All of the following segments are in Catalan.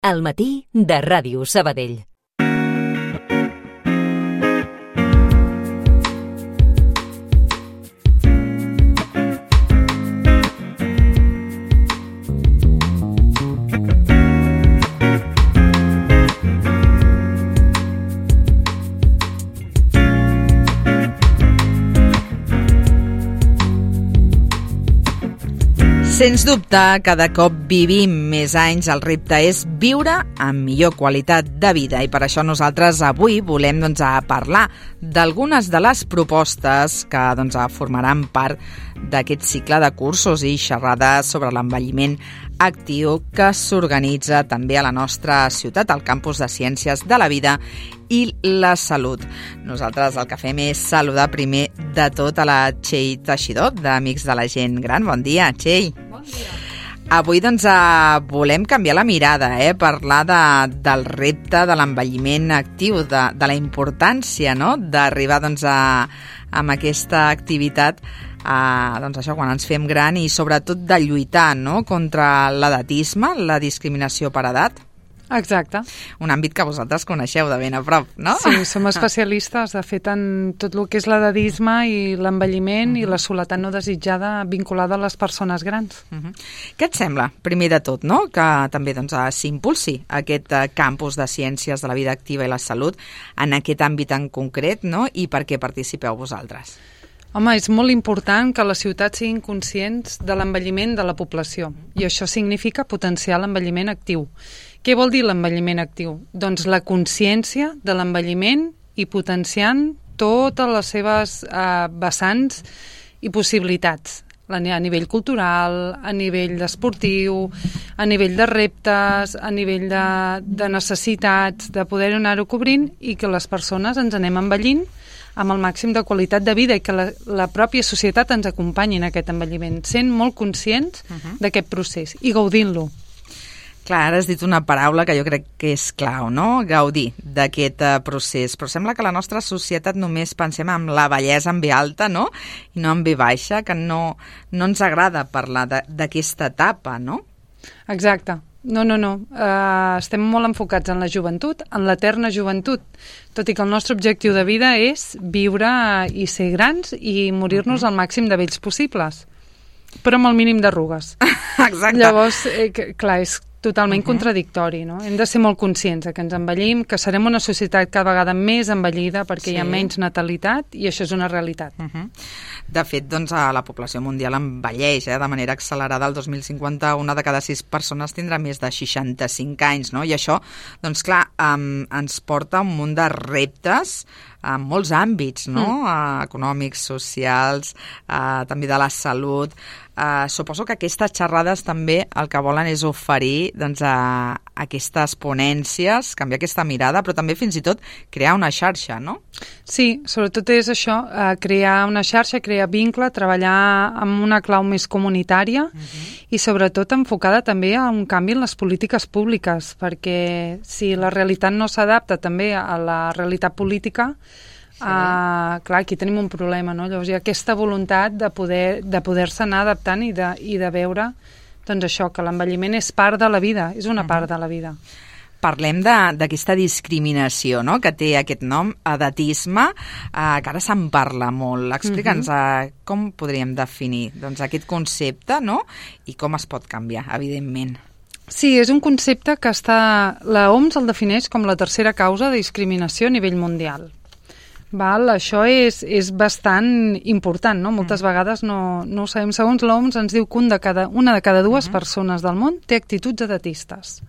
Al matí de Ràdio Sabadell. Sens dubte, cada cop vivim més anys. El repte és viure amb millor qualitat de vida i per això nosaltres avui volem parlar d'algunes de les propostes que formaran part d'aquest cicle de cursos i xerrades sobre l'envelliment actiu que s'organitza també a la nostra ciutat, al Campus de Ciències de la Vida i la Salut. Nosaltres el que fem és saludar primer de tot a la Txell Teixidor, d'Amics de la Gent Gran. Bon dia, Txell. Bon dia. Avui volem canviar la mirada, parlar del repte de l'envelliment actiu, de la importància d'arribar amb aquesta activitat això quan ens fem gran i sobretot de lluitar contra l'edatisme, la discriminació per edat. Exacte. Un àmbit que vosaltres coneixeu de ben a prop, no? Sí, som especialistes, de fet, en tot el que és l'edadisme i l'envelliment i la soledat no desitjada vinculada a les persones grans. Què et sembla, primer de tot, que també s'impulsi aquest campus de Ciències de la Vida Activa i la Salut en aquest àmbit en concret, i per què participeu vosaltres? Home, és molt important que les ciutats siguin conscients de l'envelliment de la població i això significa potenciar l'envelliment actiu. Què vol dir l'envelliment actiu? Doncs la consciència de l'envelliment i potenciant totes les seves vessants i possibilitats a nivell cultural, a nivell esportiu, a nivell de reptes, a nivell de necessitats, de poder anar-ho cobrint i que les persones ens anem envellint amb el màxim de qualitat de vida i que la pròpia societat ens acompanyi en aquest envelliment, sent molt conscients d'aquest procés i gaudint-lo. Clar, ara has dit una paraula que jo crec que és clau, gaudir d'aquest procés, però sembla que la nostra societat només pensem en la bellesa en ve alta, i no en ve baixa, que no ens agrada parlar d'aquesta etapa, no? Exacte. No. Estem molt enfocats en la joventut, en l'eterna joventut, tot i que el nostre objectiu de vida és viure i ser grans i morir-nos al màxim de vells possibles, però amb el mínim d'arrugues. Exacte. Llavors, clar, és totalment contradictori, no? Hem de ser molt conscients que ens envellim, que serem una societat cada vegada més envellida perquè hi ha menys natalitat i això és una realitat. De fet, la població mundial envelleix de manera accelerada. El 2050 una de cada 6 persones tindrà més de 65 anys, I això, clar, ens porta a un munt de reptes en molts àmbits, econòmics, socials, també de la salut. Suposo que aquestes xerrades també el que volen és oferir aquestes ponències, canviar aquesta mirada, però també fins i tot crear una xarxa, no? Sí, sobretot és això, crear una xarxa, crear vincle, treballar amb una clau més comunitària i sobretot enfocada també a un canvi en les polítiques públiques, perquè si la realitat no s'adapta també a la realitat política, clar, aquí tenim un problema, no? Llavors hi ha aquesta voluntat de poder-se anar adaptant i de veure això, que l'envelliment és part de la vida, és una part de la vida. Parlem d'aquesta discriminació, que té aquest nom, edatisme, que ara se'n parla molt. Explica'ns com podríem definir aquest concepte, i com es pot canviar, evidentment. Sí, és un concepte que la OMS el defineix com la tercera causa de discriminació a nivell mundial. Això és bastant important, moltes vegades no ho sabem. Segons l'OMS ens diu que una de cada 2 persones del món té actituds edatistes.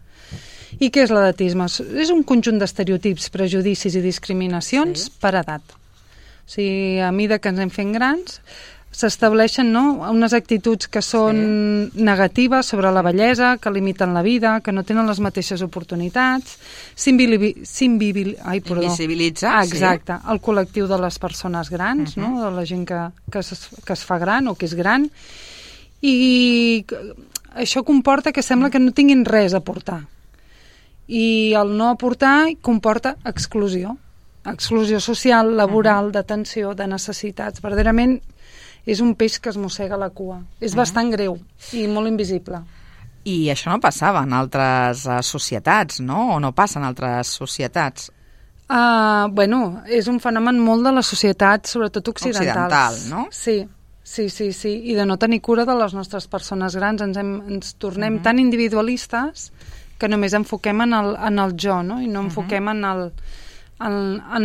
I què és l'edatisme? És un conjunt d'estereotips, prejudicis i discriminacions per edat. O sigui, a mesura que ens anem fent grans, s'estableixen unes actituds que són negatives sobre la bellesa, que limiten la vida, que no tenen les mateixes oportunitats, invisibilitzar exacte, el col·lectiu de les persones grans, de la gent que es fa gran o que és gran, i això comporta que sembla que no tinguin res a aportar. I el no aportar comporta exclusió social, laboral, d'atenció, de necessitats. Verdaderament és un peix que es mossega la cua. És bastant greu i molt invisible. I això no passava en altres societats, no? O no passa en altres societats? Bueno, és un fenomen molt de les societats, sobretot occidentals. Occidental, no? Sí. I de no tenir cura de les nostres persones grans. Ens tornem tan individualistes que només enfoquem en el jo, no? I no enfoquem en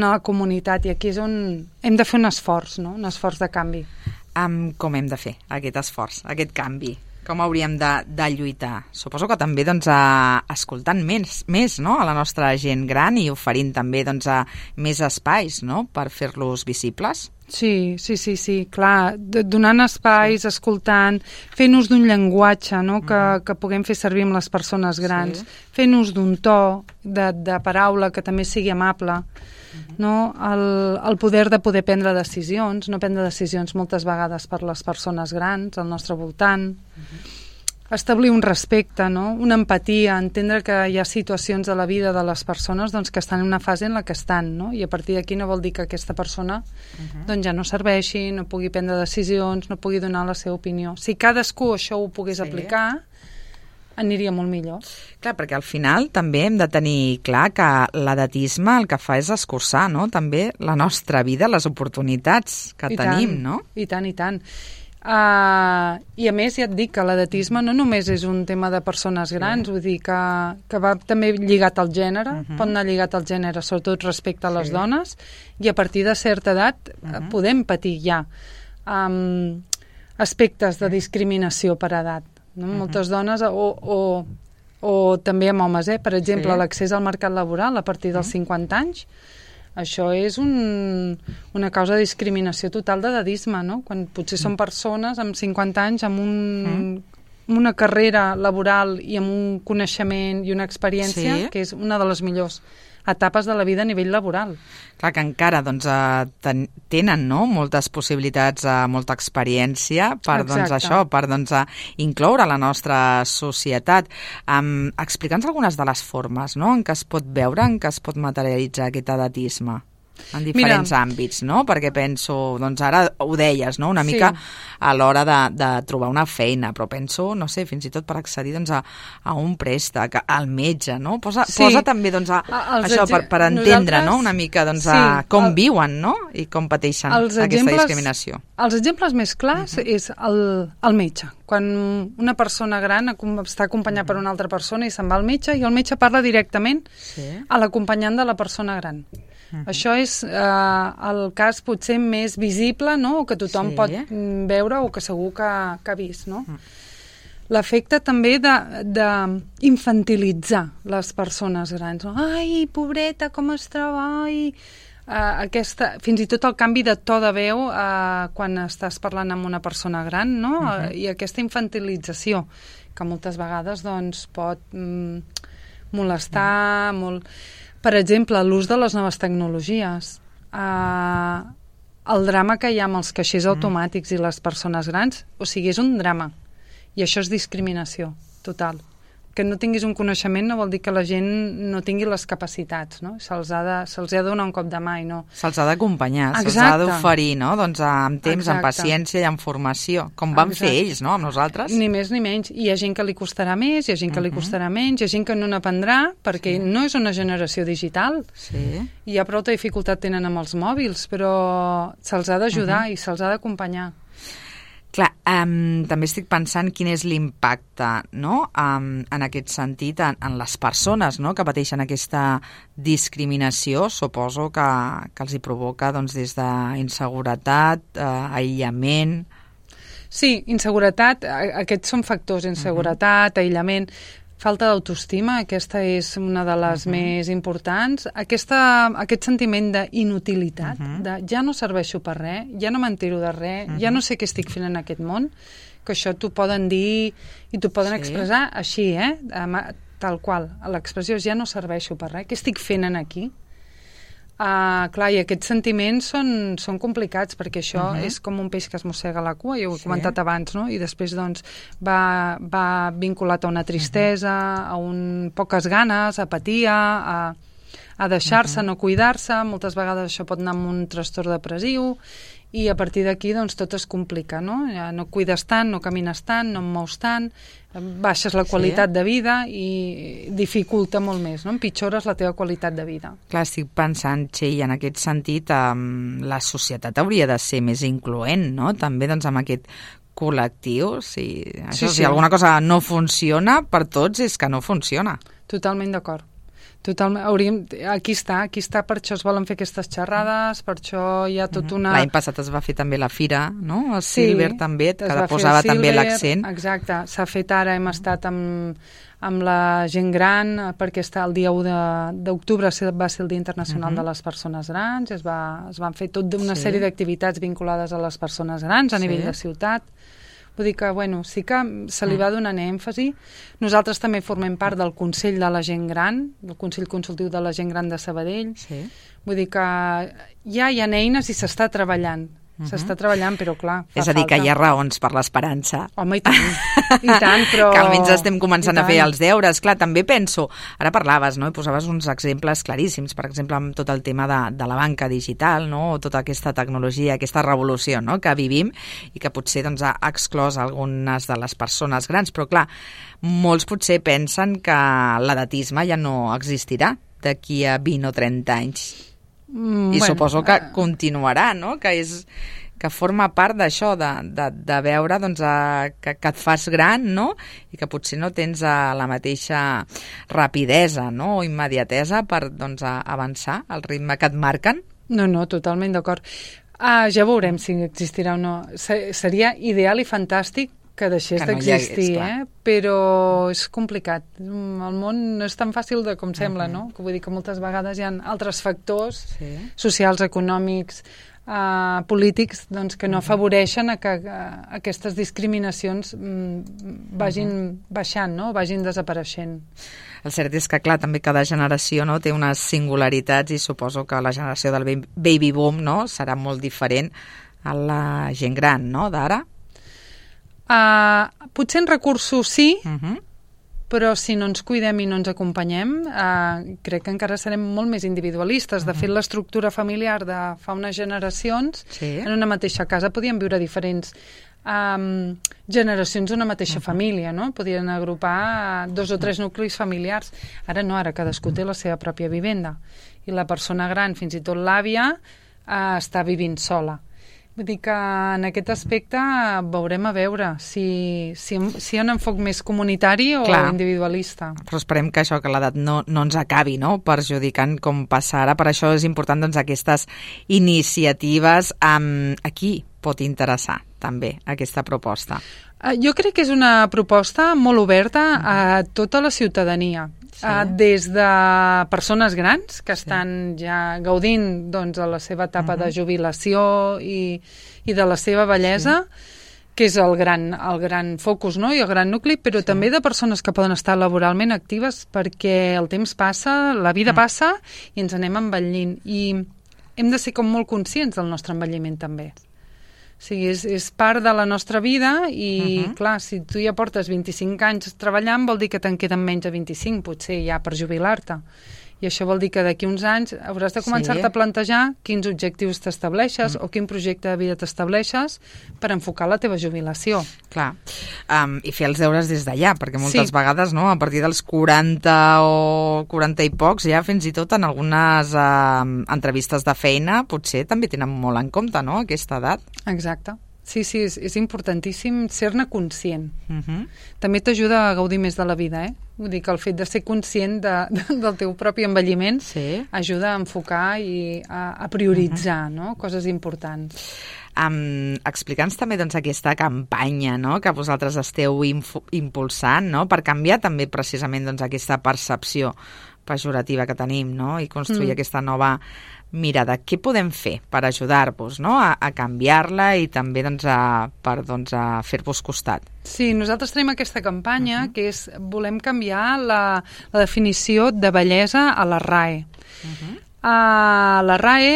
la comunitat. I aquí és on hem de fer un esforç, no? Un esforç de canvi. Com hem de fer aquest esforç, aquest canvi? Com hauríem de lluitar? Suposo que també escoltant més no? A la nostra gent gran i oferint també més espais, no? Per fer-los visibles. Sí, clar, donant espais, escoltant, fent ús d'un llenguatge, no? que puguem fer servir amb les persones grans, fent ús d'un to de paraula que també sigui amable, no? El poder de poder prendre decisions, no prendre decisions moltes vegades per les persones grans al nostre voltant, establir un respecte, no? Una empatia, entendre que hi ha situacions de la vida de les persones que estan en una fase en la que estan, no? I a partir d'aquí no vol dir que aquesta persona ja no serveixi, no pugui prendre decisions, no pugui donar la seva opinió. Si cadascú això ho pogués aplicar, aniria molt millor. Clar, perquè al final també hem de tenir clar que l'edatisme el que fa és escurçar, no? També la nostra vida, les oportunitats que tenim, no? I tant. I a més ja et dic que l'edatisme no només és un tema de persones grans, vull dir que va també lligat al gènere, pot anar lligat al gènere, sobretot respecte a les dones, i a partir de certa edat podem patir ja aspectes de discriminació per edat, no? Moltes dones o també amb homes, per exemple, l'accés al mercat laboral a partir dels 50 anys. Això és una causa de discriminació total d'edadisme, no? Quan potser són persones amb 50 anys amb una carrera laboral i amb un coneixement i una experiència que és una de les millors etapes de la vida a nivell laboral. Clar que encara tenen moltes possibilitats, molta experiència per això, per incloure la nostra societat. Explica'ns algunes de les formes en què es pot veure, en què es pot materialitzar aquest edatisme en diferents àmbits, no? Perquè penso, ara ho deies, no? Una mica a l'hora de trobar una feina, però penso, no sé, fins i tot per accedir a un préstec, al metge, no? Posa també això per entendre una mica com viuen, no? I com pateixen aquesta discriminació. Els exemples més clars és el metge. Quan una persona gran està acompanyada per una altra persona i se'n va al metge i el metge parla directament a l'acompanyant de la persona gran. Això és el cas potser més visible, no? O que tothom pot veure o que segur que ha vist, no? L'efecte també d'infantilitzar les persones grans. Ai, pobreta, com es troba? Fins i tot el canvi de to de veu quan estàs parlant amb una persona gran, no? I aquesta infantilització que moltes vegades pot molestar molt. Per exemple, l'ús de les noves tecnologies, el drama que hi ha amb els caixers automàtics i les persones grans, o sigui, és un drama. I això és discriminació total. Que no tinguis un coneixement no vol dir que la gent no tingui les capacitats, no? Se'ls ha de donar un cop de mà i no... Se'ls ha d'acompanyar, se'ls ha d'oferir, no? Amb temps, amb paciència i amb formació, com van fer ells, no? Amb nosaltres. Ni més ni menys. Hi ha gent que li costarà més, hi ha gent que li costarà menys, hi ha gent que no n'aprendrà perquè no és una generació digital. Hi ha prou dificultat tenen amb els mòbils, però se'ls ha d'ajudar i se'ls ha d'acompanyar. Clar, també estic pensant quin és l'impacte, no? En aquest sentit, en les persones, no? Que pateixen aquesta discriminació, suposo que els hi provoca des d'inseguretat, aïllament... Sí, inseguretat, aquests són factors, inseguretat, aïllament... Falta d'autoestima, aquesta és una de les més importants. Aquest sentiment d'inutilitat, de ja no serveixo per res, ja no m'entero de res, ja no sé què estic fent en aquest món, que això t'ho poden dir i t'ho poden expressar així, tal qual. L'expressió és ja no serveixo per res, què estic fent aquí? Clar, i aquests sentiments són complicats perquè això és com un peix que es mossega la cua, ja ho he comentat abans, no? I després va vinculat a una tristesa, a poques ganes, apatia, a deixar-se, no cuidar-se. Moltes vegades això pot anar amb un trastorn depressiu i a partir d'aquí doncs, tot es complica, no? Ja no cuides tant, no camines tant, no em mous tant, baixes la qualitat de vida i dificulta molt més, no? Empitjores la teva qualitat de vida. Clar, estic pensant, Txell, en aquest sentit, la societat hauria de ser més incloent, no? També doncs, amb aquest col·lectiu. Si alguna cosa no funciona per tots és que no funciona. Totalment d'acord. Aquí està, per això es volen fer aquestes xerrades, per això hi ha tot una... L'any passat es va fer també la fira, no? El Silver també, que posava també l'accent. Exacte, s'ha fet ara, hem estat amb la gent gran, perquè el dia 1 d'octubre va ser el Dia Internacional de les Persones Grans, es van fer tota una sèrie d'activitats vinculades a les persones grans a nivell de ciutat. Vull dir que, sí que se li va donant èmfasi. Nosaltres també formem part del Consell de la Gent Gran, del Consell Consultiu de la Gent Gran de Sabadell. Sí. Vull dir que ja hi ha eines i s'està treballant. S'està treballant, però clar, fa falta. És a dir, que hi ha raons per l'esperança. Home, i tant, però... Que almenys estem començant a fer els deures. Clar, també penso, ara parlaves, no?, i posaves uns exemples claríssims, per exemple, amb tot el tema de la banca digital, no?, o tota aquesta tecnologia, aquesta revolució, no?, que vivim i que potser doncs, ha exclòs algunes de les persones grans, però clar, molts potser pensen que l'edatisme ja no existirà d'aquí a 20 o 30 anys. I suposo que continuarà, no? Que forma part d'això, de veure doncs, que et fas gran, no? I que potser no tens la mateixa rapidesa, no?, o immediatesa per doncs, avançar al ritme que et marquen. No, totalment d'acord. Ja veurem si existirà o no. Seria ideal i fantàstic que deixés d'existir, però és complicat. El món no és tan fàcil com sembla, no? Que vull dir que moltes vegades hi ha altres factors socials, econòmics, polítics, doncs, que no afavoreixen que aquestes discriminacions vagin baixant, no? Vagin desapareixent. El cert és que, clar, també cada generació, no?, té unes singularitats i suposo que la generació del baby boom, no?, serà molt diferent a la gent gran, no?, d'ara. Potser en recursos sí, però si no ens cuidem i no ens acompanyem, crec que encara serem molt més individualistes. De fet, l'estructura familiar de fa unes generacions, en una mateixa casa podien viure diferents generacions d'una mateixa família, no? Podien agrupar 2 o 3 nuclis familiars. Ara no, ara cadascú té la seva pròpia vivenda. I la persona gran, fins i tot l'àvia, està vivint sola. Vull dir que en aquest aspecte veurem a veure si hi ha un enfoc més comunitari o individualista. Però esperem que això, que l'edat no ens acabi, no?, perjudicant com passa ara. Per això és important doncs, aquestes iniciatives. A qui pot interessar també aquesta proposta? Jo crec que és una proposta molt oberta a tota la ciutadania. Des de persones grans que estan ja gaudint doncs, de la seva etapa de jubilació i de la seva bellesa, que és el gran focus, no?, i el gran nucli, però també de persones que poden estar laboralment actives, perquè el temps passa, la vida passa i ens anem envellint. I hem de ser com molt conscients del nostre envelliment també. O sigui, és part de la nostra vida i, clar, si tu ja portes 25 anys treballant, vol dir que te'n queden menys de 25, potser ja per jubilar-te. I això vol dir que d'aquí uns anys hauràs de començar-te a plantejar quins objectius t'estableixes o quin projecte de vida t'estableixes per enfocar la teva jubilació. Clar, i fer els deures des d'allà, perquè moltes vegades, no, a partir dels 40 o 40 i pocs, ja fins i tot en algunes entrevistes de feina, potser també tenen molt en compte, no?, aquesta edat. Exacte. Sí, és importantíssim ser-ne conscient. També t'ajuda a gaudir més de la vida, Vull dir que el fet de ser conscient del teu propi envelliment ajuda a enfocar i a prioritzar, no?, coses importants. Explica'ns també doncs, aquesta campanya, no?, que vosaltres esteu impulsant, no?, per canviar també precisament doncs, aquesta percepció pejorativa que tenim, no?, i construir aquesta nova mirada. Què podem fer per ajudar-vos, no?, a canviar-la i també doncs, per fer-vos costat? Sí, nosaltres tenim aquesta campanya que és, volem canviar la definició de bellesa a la RAE. La RAE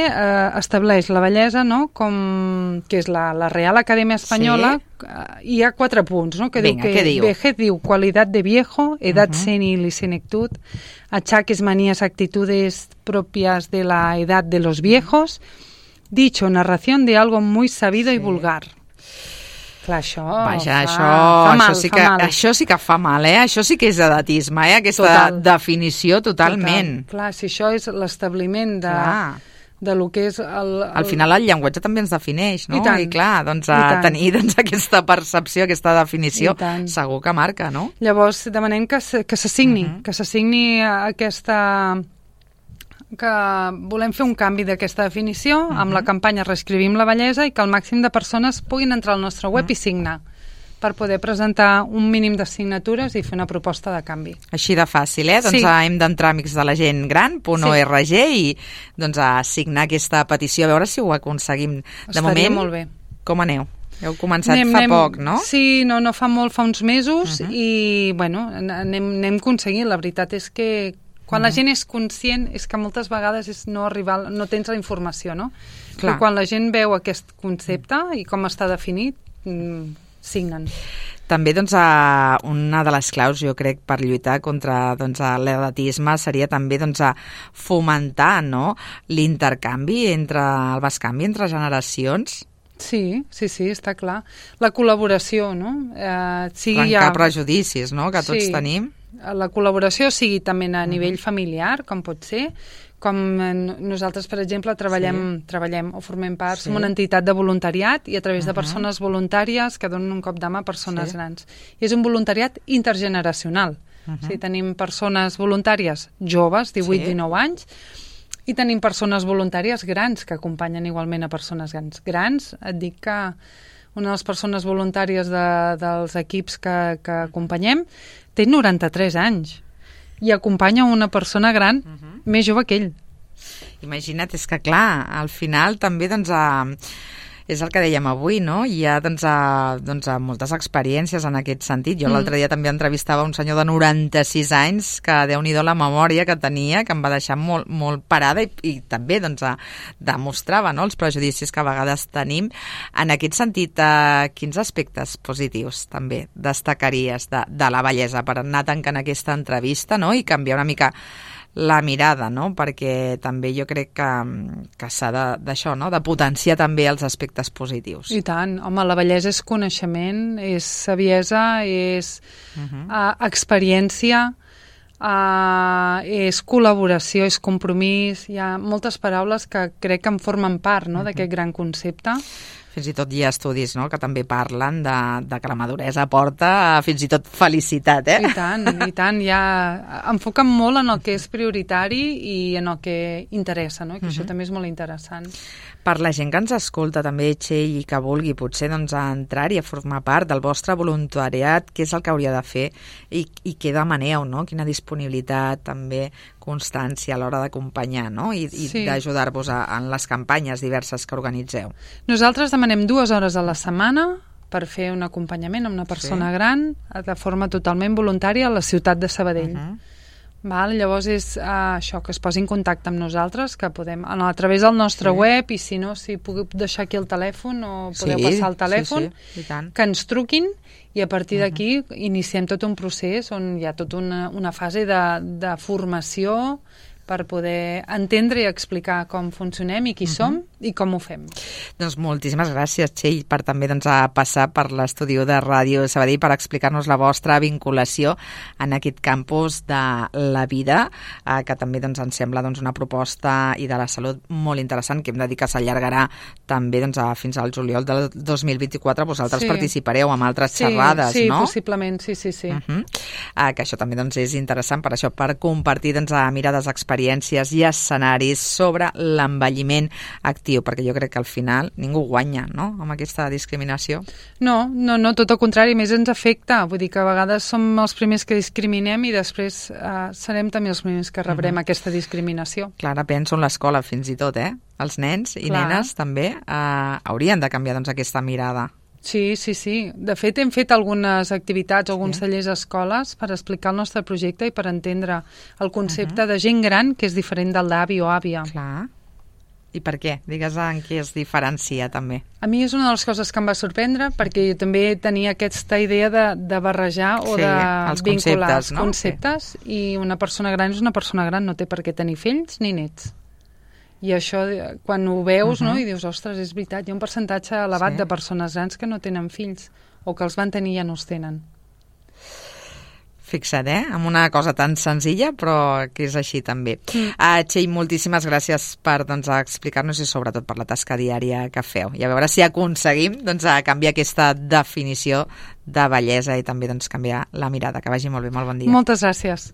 estableix la bellesa, no?, que és la Real Acadèmia Espanyola, hi ha 4 punts, no?, que diu vejez diu qualitat de viejo, edad senil y senectud, achaques, manías, actitudes propias de la edad de los viejos, Dicho, narración de algo muy sabido y vulgar. Clar, això... Vaja, això sí que fa mal, Això sí que és edatisme, Aquesta definició totalment. Clar, si això és l'establiment de lo que és Al final el llenguatge també ens defineix, no? I clar, tenir aquesta percepció, aquesta definició, segur que marca, no? Llavors demanem que se signi aquesta... que volem fer un canvi d'aquesta definició amb la campanya Reescrivim la bellesa i que el màxim de persones puguin entrar al nostre web i signar per poder presentar un mínim de signatures i fer una proposta de canvi. Així de fàcil, Doncs hem d'entrar a amicsdelagentgran.org i a signar aquesta petició, a veure si ho aconseguim. De moment, molt bé. Com aneu? Heu començat fa poc, no? Sí, no fa molt, fa uns mesos i, anem aconseguint. La veritat és que quan la gent és conscient és que moltes vegades és no tens la informació, no? Però quan la gent veu aquest concepte i com està definit, signen. També, una de les claus, jo crec, per lluitar contra l'edatisme seria també fomentar l'intercanvi, el bescanvi entre generacions. Sí, està clar. La col·laboració, no? Trencar prejudicis, no?, que tots tenim. La col·laboració sigui també a nivell familiar, com pot ser, com nosaltres, per exemple, treballem o formem part, som una entitat de voluntariat i a través de persones voluntàries que donen un cop de mà a persones grans. I és un voluntariat intergeneracional. O sigui, tenim persones voluntàries joves, 18-19 anys, i tenim persones voluntàries grans que acompanyen igualment a persones grans. Et dic que una de les persones voluntàries dels equips que acompanyem té 93 anys i acompanya una persona gran més jove que ell. Imagina't, és que clar, al final també és el que dèiem avui, no? Hi ha moltes experiències en aquest sentit. Jo l'altre dia també entrevistava un senyor de 96 anys que Déu-n'hi-do la memòria que tenia, que em va deixar molt, molt parada i també demostrava els prejudicis que a vegades tenim. En aquest sentit, quins aspectes positius també destacaries de la bellesa per anar tancant aquesta entrevista, no? I canviar una mica la mirada, no? Perquè també jo crec que s'ha d'això, no? De potenciar també els aspectes positius. I tant. Home, la bellesa és coneixement, és saviesa, és experiència, és col·laboració, és compromís. Hi ha moltes paraules que crec que en formen part, no?, d'aquest gran concepte. Fins i tot hi ha estudis, no?, que també parlen de que la maduresa porta fins i tot felicitat, I tant. Enfoquen molt en el que és prioritari i en el que interessa, no?, i que això també és molt interessant. Per la gent que ens escolta també, Txell, i que vulgui potser entrar-hi a formar part del vostre voluntariat, què és el que hauria de fer i què demaneu, no? Quina disponibilitat, també constància a l'hora d'acompanyar, no? I d'ajudar-vos en les campanyes diverses que organitzeu. Nosaltres demanem 2 hores a la setmana per fer un acompanyament a una persona gran de forma totalment voluntària a la ciutat de Sabadell. Llavors és això, que es posi en contacte amb nosaltres, que podem, a través del nostre web, i si no, si puc deixar aquí el telèfon o podeu passar el telèfon, que ens truquin i a partir d'aquí iniciem tot un procés on hi ha tota una fase de formació per poder entendre i explicar com funcionem i qui som i com ho fem. Doncs moltíssimes gràcies, Txell, per també passar per l'estudi de Ràdio Sabadell per explicar-nos la vostra vinculació en aquest campus de la vida, que també ens sembla una proposta i de la salut molt interessant, que hem de dir que s'allargarà també fins al juliol del 2024. Vosaltres participareu amb altres xerrades, no? Sí, possiblement, sí. Que això també és interessant per això, per compartir mirades, experiències i escenaris sobre l'envelliment actiu, perquè jo crec que al final ningú guanya, no?, amb aquesta discriminació. No, tot el contrari, més ens afecta. Vull dir que a vegades som els primers que discriminem i després serem també els primers que rebrem aquesta discriminació. Clar, penso en l'escola fins i tot, Els nens i nenes també haurien de canviar aquesta mirada. Sí. De fet, hem fet algunes activitats, alguns tallers a escoles per explicar el nostre projecte i per entendre el concepte de gent gran, que és diferent del d'avi o àvia. Clar. I per què? Digues en què es diferencia, també. A mi és una de les coses que em va sorprendre, perquè jo també tenia aquesta idea de barrejar o de vincular els conceptes, i una persona gran és una persona gran, no té per què tenir fills ni nets. I això, quan ho veus, no? I dius, ostres, és veritat, hi ha un percentatge elevat de persones grans que no tenen fills, o que els van tenir i ja no els tenen. Fixa't, amb una cosa tan senzilla, però que és així també. Txell, moltíssimes gràcies per explicar-nos i sobretot per la tasca diària que feu. I a veure si aconseguim canviar aquesta definició de bellesa i també canviar la mirada. Que vagi molt bé, molt bon dia. Moltes gràcies.